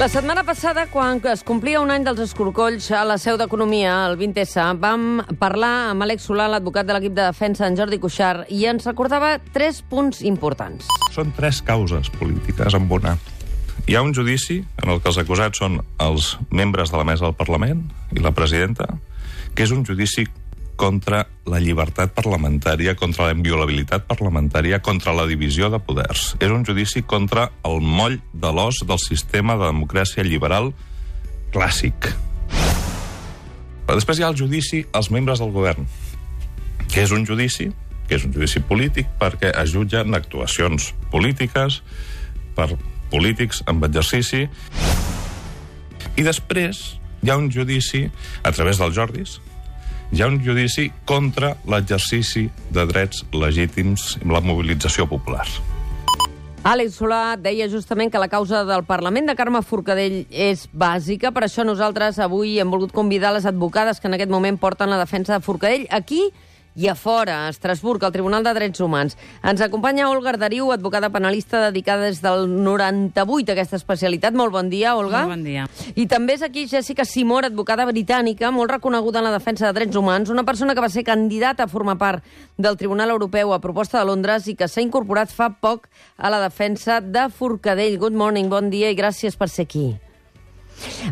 La setmana passada, quan es complia un any dels escorcolls a la seu d'Economia, el 20S, vam parlar amb Àlex Solà, l'advocat de l'equip de defensa, en Jordi Cuixart, i ens recordava 3 punts importants. Són 3 causes polítiques en una. Hi ha un judici en el que els acusats són els membres de la mesa del Parlament i la presidenta, que és un judici contra la llibertat parlamentària, contra la inviolabilitat parlamentària, contra la divisió de poders. És un judici contra el moll de l'os del sistema de democràcia liberal clàssic. Però després hi ha el judici als membres del govern, que és un judici polític perquè es jutgen actuacions polítiques per polítics amb exercici. I després hi ha un judici, a través dels Jordis, hi ha un judici contra l'exercici de drets legítims i la mobilització popular. Àlex Solà deia justament que la causa del Parlament de Carme Forcadell és bàsica, per això nosaltres avui hem volgut convidar les advocades que en aquest moment porten la defensa de Forcadell aquí i a fora, a Estrasburg, al Tribunal de Drets Humans. Ens acompanya Olga Arderiu, advocada penalista dedicada des del 98 a aquesta especialitat. Molt bon dia, Olga. Molt bon dia. I també és aquí Jessica Simor, advocada britànica, molt reconeguda en la defensa de drets humans, una persona que va ser candidata a formar part del Tribunal Europeu a proposta de Londres i que s'ha incorporat fa poc a la defensa de Forcadell. Good morning, bon dia i gràcies per ser aquí.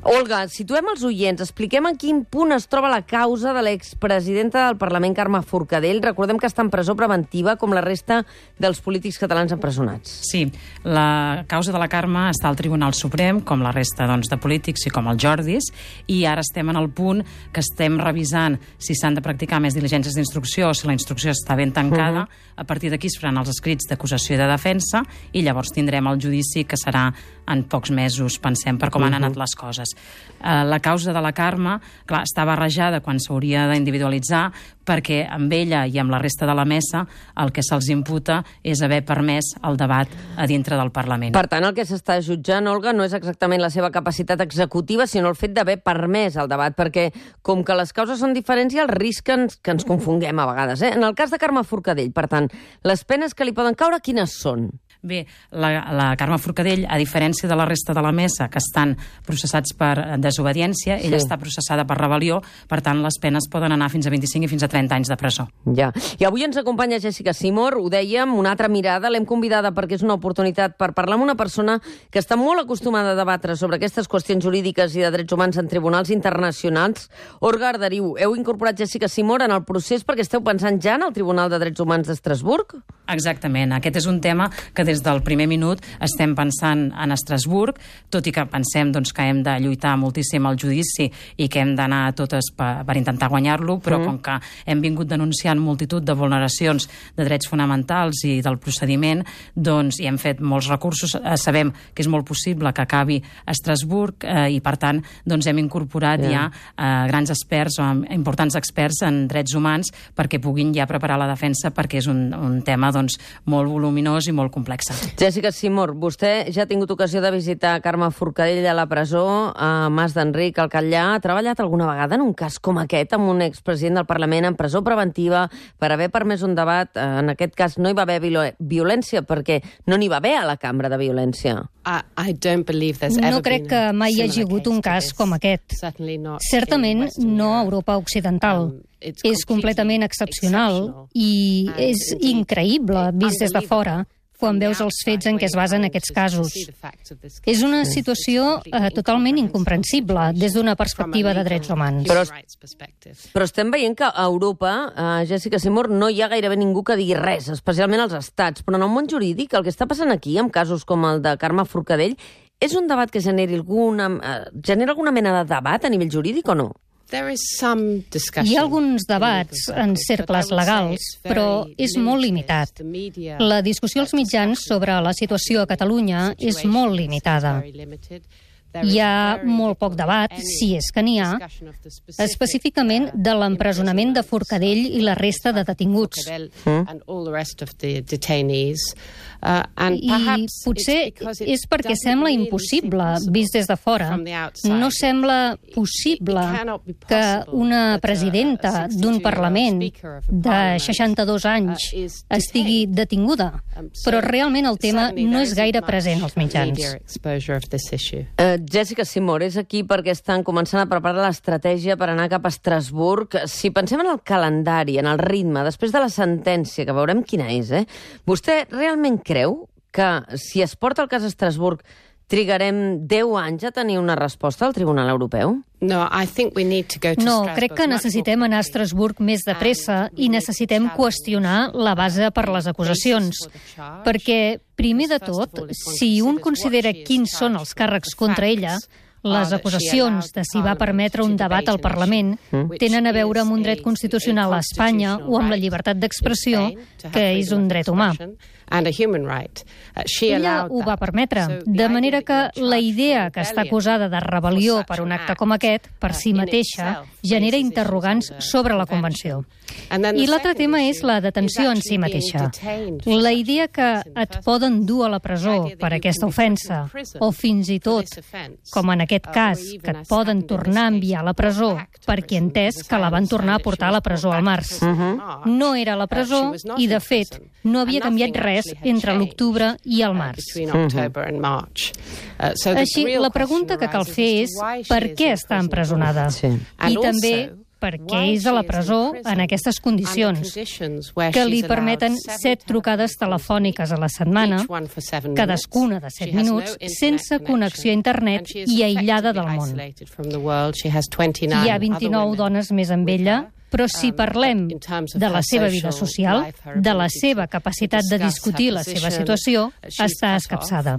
Olga, situem els oients, expliquem en quin punt es troba la causa de l'expresidenta del Parlament, Carme Forcadell. Recordem que està en presó preventiva, com la resta dels polítics catalans empresonats. Sí, la causa de la Carme està al Tribunal Suprem, com la resta de polítics i com els Jordis, i ara estem en el punt que estem revisant si s'han de practicar més diligències d'instrucció o si la instrucció està ben tancada. A partir d'aquí es faran els escrits d'acusació i de defensa i llavors tindrem el judici que serà en pocs mesos, pensem, per com han anat les coses. La causa de la Carme, clar, està barrejada quan s'hauria d'individualitzar perquè amb ella i amb la resta de la mesa el que se'ls imputa és haver permès el debat a dintre del Parlament. Per tant, el que s'està jutjant, Olga, no és exactament la seva capacitat executiva, sinó el fet d'haver permès el debat, perquè com que les causes són diferents hi ha el risc que ens confonguem a vegades. En el cas de Carme Forcadell, per tant, les penes que li poden caure, quines són? Bé, la Carme Forcadell, a diferència de la resta de la mesa, que estan processats per desobediència, ella està processada per rebel·lió, per tant, les penes poden anar fins a 25 i fins a 30 anys de presó. Ja. I avui ens acompanya Jessica Simor, ho dèiem, una altra mirada, l'hem convidada perquè és una oportunitat per parlar amb una persona que està molt acostumada a debatre sobre aquestes qüestions jurídiques i de drets humans en tribunals internacionals. Olga Arderiu, heu incorporat Jessica Simor en el procés perquè esteu pensant ja en el Tribunal de Drets Humans d'Estrasburg? Exactament. Aquest és un tema que des del primer minut estem pensant en Estrasburg, tot i que pensem que hem de lluitar moltíssim al judici i que hem d'anar a totes per intentar guanyar-lo, però com que hem vingut denunciant multitud de vulneracions de drets fonamentals i del procediment, i hem fet molts recursos, sabem que és molt possible que acabi a Estrasburg i, per tant, hem incorporat ja grans experts o importants experts en drets humans perquè puguin ja preparar la defensa, perquè és un tema molt voluminós i molt complex. Jessica Simor, vostè ja ha tingut ocasió de visitar Carme Forcadell a la presó, a Mas d'Enric, al Catllar. Ha treballat alguna vegada en un cas com aquest, amb un expresident del Parlament en presó preventiva per haver permès un debat? En aquest cas no hi va haver violència, perquè no n'hi va haver a la cambra de violència. No crec que mai hi hagi hagut un cas com aquest. Certament no a Europa Occidental. És completament excepcional i és increïble vist des de fora quan veus els fets en què es basen aquests casos. És una situació totalment incomprensible des d'una perspectiva de drets humans. Però estem veient que a Europa, Jessica Simor, no hi ha gairebé ningú que digui res, especialment als estats. Però en el món jurídic, el que està passant aquí, amb casos com el de Carme Forcadell, és un debat que genera alguna mena de debat a nivell jurídic o no? Hi ha alguns debats en cercles legals, però és molt limitat. La discussió als mitjans sobre la situació a Catalunya és molt limitada. Hi ha molt poc debat, si és que n'hi ha, específicament de l'empresonament de Forcadell i la resta de detinguts. I potser és perquè sembla impossible, vist des de fora. No sembla possible que una presidenta d'un Parlament de 62 anys estigui detinguda, però realment el tema no és gaire present als mitjans. Jessica Simor és aquí perquè estan començant a preparar l'estratègia per anar cap a Estrasburg. Si pensem en el calendari, en el ritme, després de la sentència, que veurem quina és, vostè realment creu que si es porta el cas a Estrasburg trigarem 10 anys a tenir una resposta al Tribunal Europeu? No, crec que necessitem anar a Estrasburg més de pressa i necessitem qüestionar la base per les acusacions. Perquè, primer de tot, si un considera quins són els càrrecs contra ella, les acusacions de si va permetre un debat al Parlament tenen a veure amb un dret constitucional a Espanya o amb la llibertat d'expressió, que és un dret humà. Ella ho va permetre, de manera que la idea que està acusada de rebel·lió per un acte com aquest, per si mateixa, genera interrogants sobre la Convenció. I l'altre tema és la detenció en si mateixa. La idea que et poden dur a la presó per aquesta ofensa, o fins i tot, com en aquest cas, que et poden tornar a enviar a la presó perquè he entès que la van tornar a portar a la presó al març. No era a la presó i, de fet, no havia canviat res entre l'octubre i el març. Així, la pregunta que cal fer és per què està empresonada? I també per què és a la presó en aquestes condicions, que li permeten 7 trucades telefòniques a la setmana, cadascuna de 7 minuts, sense connexió a internet i aïllada del món. Hi ha 29 dones més amb ella, però si parlem de la seva vida social, de la seva capacitat de discutir la seva situació, està escapçada.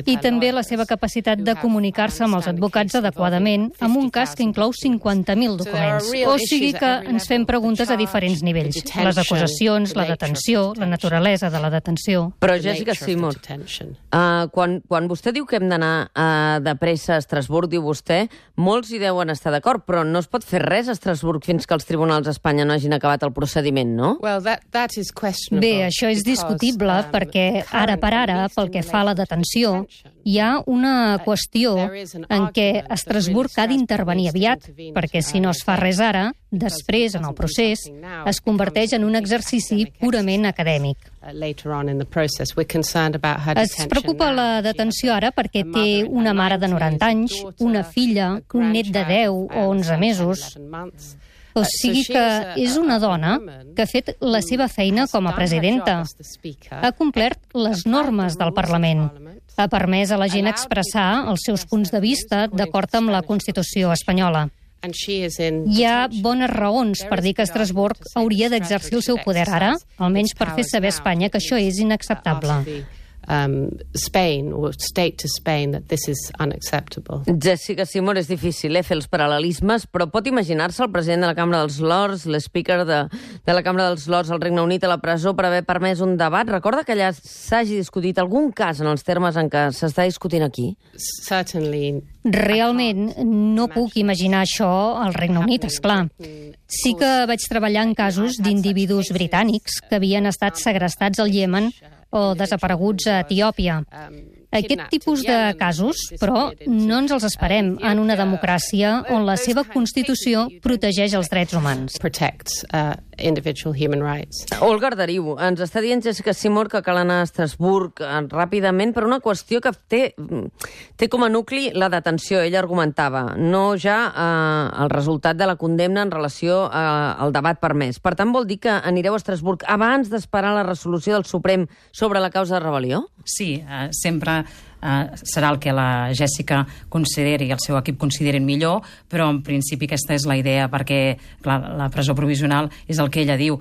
I també la seva capacitat de comunicar-se amb els advocats adequadament amb un cas que inclou 50.000 documents. O sigui que ens fem preguntes a diferents nivells. Les acusacions, la detenció, la naturalesa de la detenció. Però, Jessica Simor, quan vostè diu que hem d'anar de pressa a Estrasburg, diu vostè, molts hi deuen estar d'acord, però no es pot fer res a Estrasburg fins que els tribunals d'Espanya no hagin acabat el procediment, no? Bé, això és discutible perquè, ara per ara, pel que fa a la detenció, hi ha una qüestió en què Estrasburg ha d'intervenir aviat, perquè si no es fa res ara, després, en el procés, es converteix en un exercici purament acadèmic. Es preocupa la detenció ara perquè té una mare de 90 anys, una filla, un net de 10 o 11 mesos. O sigui que és una dona que ha fet la seva feina com a presidenta. Ha complert les normes del Parlament. Ha permès a la gent expressar els seus punts de vista d'acord amb la Constitució espanyola. Hi ha bones raons per dir que Estrasburg hauria d'exercir el seu poder ara, almenys per fer saber a Espanya que això és inacceptable. Jessica Simor, és difícil fer els paral·lelismes, però pot imaginar-se el president de la Cambra dels Lords, l'speaker de la Cambra dels Lords al Regne Unit a la presó per haver permès un debat? Recorda que allà s'hagi discutit algun cas en els termes en què s'està discutint aquí? Realment no puc imaginar això al Regne Unit, esclar. Sí que vaig treballar en casos d'individus britànics que havien estat segrestats al Iemen o desapareguts a Etiòpia. Aquest tipus de casos, però, no ens els esperem en una democràcia on la seva Constitució protegeix els drets humans. Olga Arderiu, ens està dient Jessica Simor que cal anar a Estrasburg ràpidament per una qüestió que té com a nucli la detenció. Ella argumentava, no ja el resultat de la condemna en relació al debat permès. Per tant, vol dir que anireu a Estrasburg abans d'esperar la resolució del Suprem sobre la causa de rebel·lió? Sí, sempre serà el que la Jessica consideri i el seu equip considerin millor, però en principi aquesta és la idea, perquè clar, la presó provisional és el que ella diu.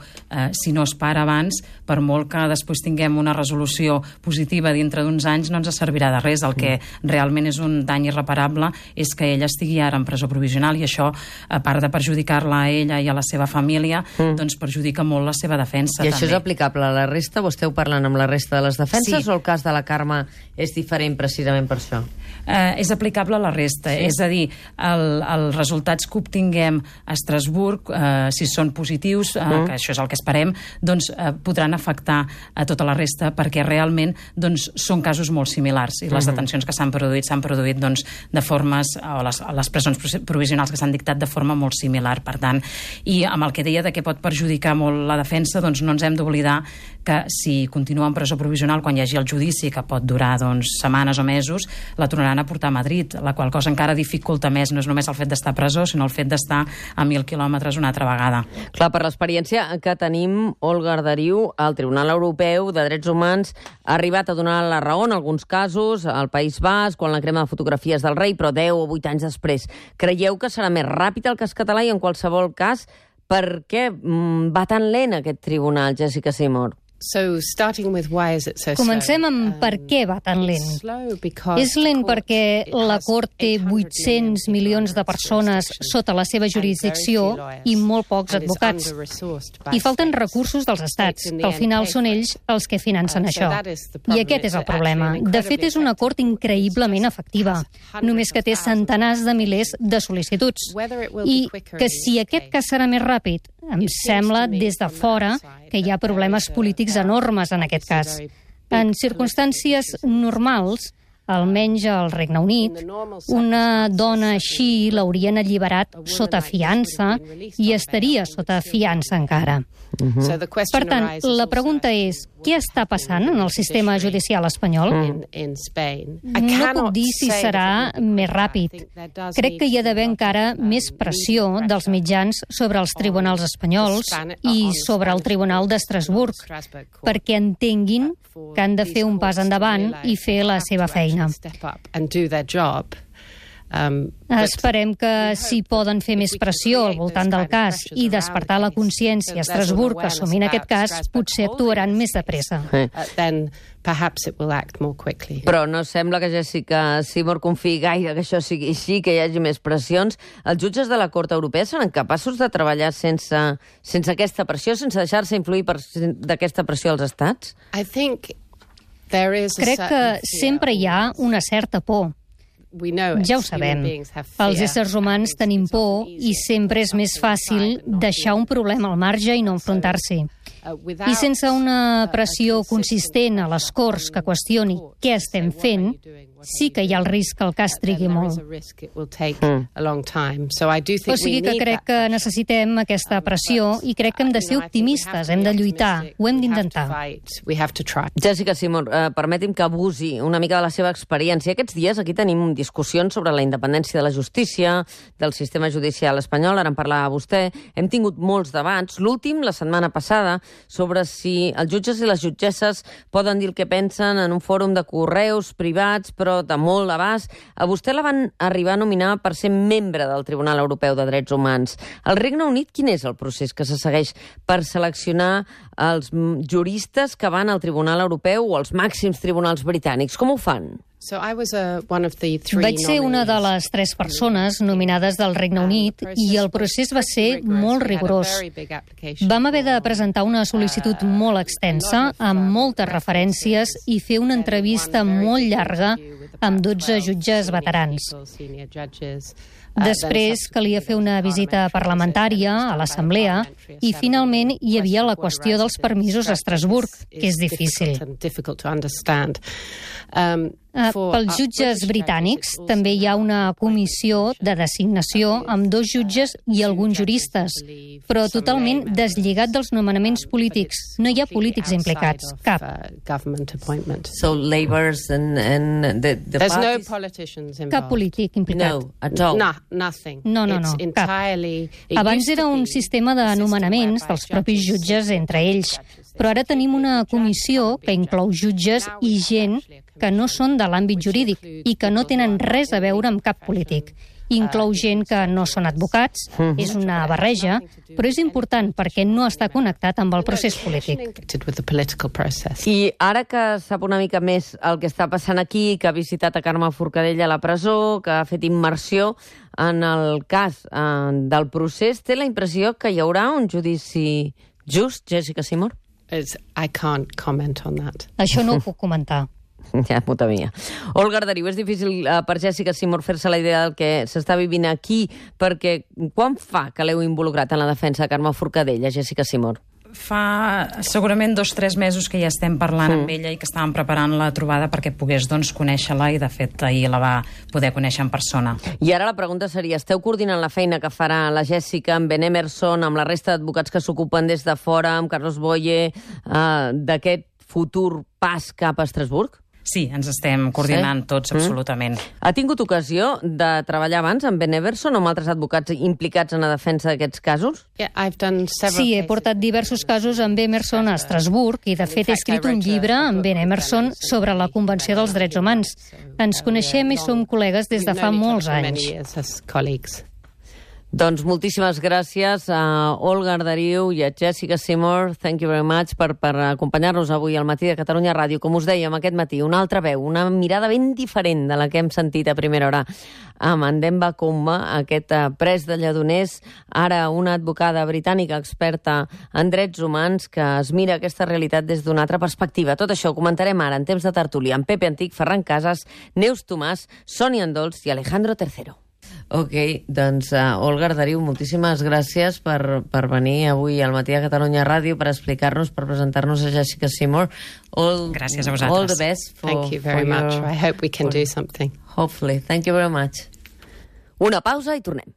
Si no es para abans, per molt que després tinguem una resolució positiva dintre d'uns anys, no ens servirà de res. El que realment és un dany irreparable és que ella estigui ara en presó provisional i això, a part de perjudicar-la a ella i a la seva família, doncs perjudica molt la seva defensa. I això també és aplicable a la resta? Vostè ho parlant amb la resta de les defenses o el cas de la Carme és diferent precisament per això? És aplicable a la resta. Sí. És a dir, els resultats que obtinguem a Estrasburg, si són positius, que això és el que esperem, doncs podran afectar a tota la resta perquè realment doncs, són casos molt similars i les detencions que s'han produït doncs, de formes, o les presons provisionals que s'han dictat de forma molt similar. Per tant, i amb el que deia de que pot perjudicar molt la defensa, doncs no ens hem d'oblidar que si continua en presó provisional quan hi hagi el judici, que pot durar setmanes o mesos, la tornaran a portar a Madrid, la qual cosa encara dificulta més, no és només el fet d'estar a presó, sinó el fet d'estar a 1.000 quilòmetres una altra vegada. Clar, per l'experiència que tenim, Olga Arderiu, el Tribunal Europeu de Drets Humans ha arribat a donar la raó en alguns casos al País Basc, quan la crema de fotografies del rei, però 10 o 8 anys després. Creieu que serà més ràpid el cas català i, en qualsevol cas, per què va tan lent aquest tribunal, Jessica Seymour? Comencem amb per què va tan lent. És lent perquè la Cort té 800 milions de persones sota la seva jurisdicció i molt pocs advocats. I falten recursos dels estats, que al final són ells els que financen això. I aquest és el problema. De fet, és una Cort increïblement efectiva, només que té centenars de milers de sol·licituds. I que si aquest cas serà més ràpid, em sembla, des de fora, que hi ha problemes polítics enormes en aquest cas. En circumstàncies normals, almenys al Regne Unit, una dona així l'haurien alliberat sota fiança i estaria sota fiança encara. Per tant, la pregunta és, què està passant en el sistema judicial espanyol? No puc dir si serà més ràpid. Crec que hi ha d'haver encara més pressió dels mitjans sobre els tribunals espanyols i sobre el Tribunal d'Estrasburg, perquè entenguin que han de fer un pas endavant i fer la seva feina. Esperem que si poden fer més pressió al voltant del cas i despertar la consciència a Estrasburg assumint aquest cas, potser actuaran més de pressa. Però no sembla que Jessica Seymour confiï gaire que això sigui així, que hi hagi més pressions. Els jutges de la Cort Europea seran capaços de treballar sense aquesta pressió, sense deixar-se influir d'aquesta pressió als estats? Crec que sempre hi ha una certa por. Ja ho sabem. Els éssers humans tenim por i sempre és més fàcil deixar un problema al marge i no enfrontar-s'hi. I sense una pressió consistent a les Corts que qüestioni què estem fent, sí que hi ha el risc que el cas trigui molt. O sigui que crec que necessitem aquesta pressió i crec que hem de ser optimistes, hem de lluitar, ho hem d'intentar. Jessica Seymour, permeti'm que abusi una mica de la seva experiència. Aquests dies aquí tenim discussions sobre la independència de la justícia, del sistema judicial espanyol, ara en parlava vostè. Hem tingut molts debats, l'últim, la setmana passada, sobre si els jutges i les jutgesses poden dir el que pensen en un fòrum de correus privats, però de molt abast. A vostè la van arribar a nominar per ser membre del Tribunal Europeu de Drets Humans. Al Regne Unit, quin és el procés que se segueix per seleccionar els juristes que van al Tribunal Europeu o als màxims tribunals britànics? Com ho fan? Vaig ser una de les 3 persones nominades del Regne Unit i el procés va ser molt rigorós. Vam haver de presentar una sol·licitud molt extensa, amb moltes referències, i fer una entrevista molt llarga amb 12 jutges veterans. Després calia fer una visita parlamentària a l'Assemblea i finalment hi havia la qüestió dels permisos a Estrasburg, que és difícil. Pels jutges britànics també hi ha una comissió de designació amb 2 jutges i alguns juristes, però totalment deslligat dels nomenaments polítics. No hi ha polítics implicats, cap. So Labours and the parties? Cap polític implicat. No, at all? No, cap. Abans era un sistema de nomenaments dels propis jutges entre ells, però ara tenim una comissió que inclou jutges i gent que no són de l'àmbit jurídic i que no tenen res a veure amb cap polític. Inclou gent que no són advocats, és una barreja, però és important perquè no està connectat amb el procés polític. I ara que sap una mica més el que està passant aquí, que ha visitat a Carme Forcadell a la presó, que ha fet immersió en el cas del procés, té la impressió que hi haurà un judici just, Jessica Seymour? Això no ho puc comentar. Ja m'ho temia. Olga Arderiu, és difícil per Jessica Seymour fer-se la idea del que s'està vivint aquí, perquè quan fa que l'heu involucrat en la defensa de Carme Forcadell, Jessica Seymour? Fa segurament 2 o 3 mesos que ja estem parlant amb ella i que estàvem preparant la trobada perquè pogués conèixer-la, i de fet ahir la va poder conèixer en persona. I ara la pregunta seria, esteu coordinant la feina que farà la Jessica amb Ben Emerson, amb la resta d'advocats que s'ocupen des de fora, amb Carlos Boye, d'aquest futur pas cap a Estrasburg? Sí, ens estem coordinant tots, absolutament. Ha tingut ocasió de treballar abans amb Ben Emerson o amb altres advocats implicats en la defensa d'aquests casos? Sí, he portat diversos casos amb Emerson a Estrasburg i, de fet, he escrit un llibre amb Ben Emerson sobre la Convenció dels Drets Humans. Ens coneixem i som col·legues des de fa molts anys. Doncs moltíssimes gràcies a Olga Arderiu i a Jessica Seymour. Thank you very much per acompanyar-nos avui al Matí de Catalunya Ràdio. Com us dèiem aquest matí, una altra veu, una mirada ben diferent de la que hem sentit a primera hora amb en Demba Comba, aquest pres de Lledoners, ara una advocada britànica experta en drets humans que es mira aquesta realitat des d'una altra perspectiva. Tot això ho comentarem ara en temps de tertúlia amb Pepe Antic, Ferran Casas, Neus Tomàs, Sònia Andols i Alejandro Tercero. Ok, doncs Olga Arderiu, moltíssimes gràcies per venir avui al Matí de Catalunya Ràdio per explicar-nos, per presentar-nos a Jessica Seymour. Gràcies a vosaltres. All the best Thank you very much. I hope we can do something. Hopefully. Thank you very much. Una pausa i tornem.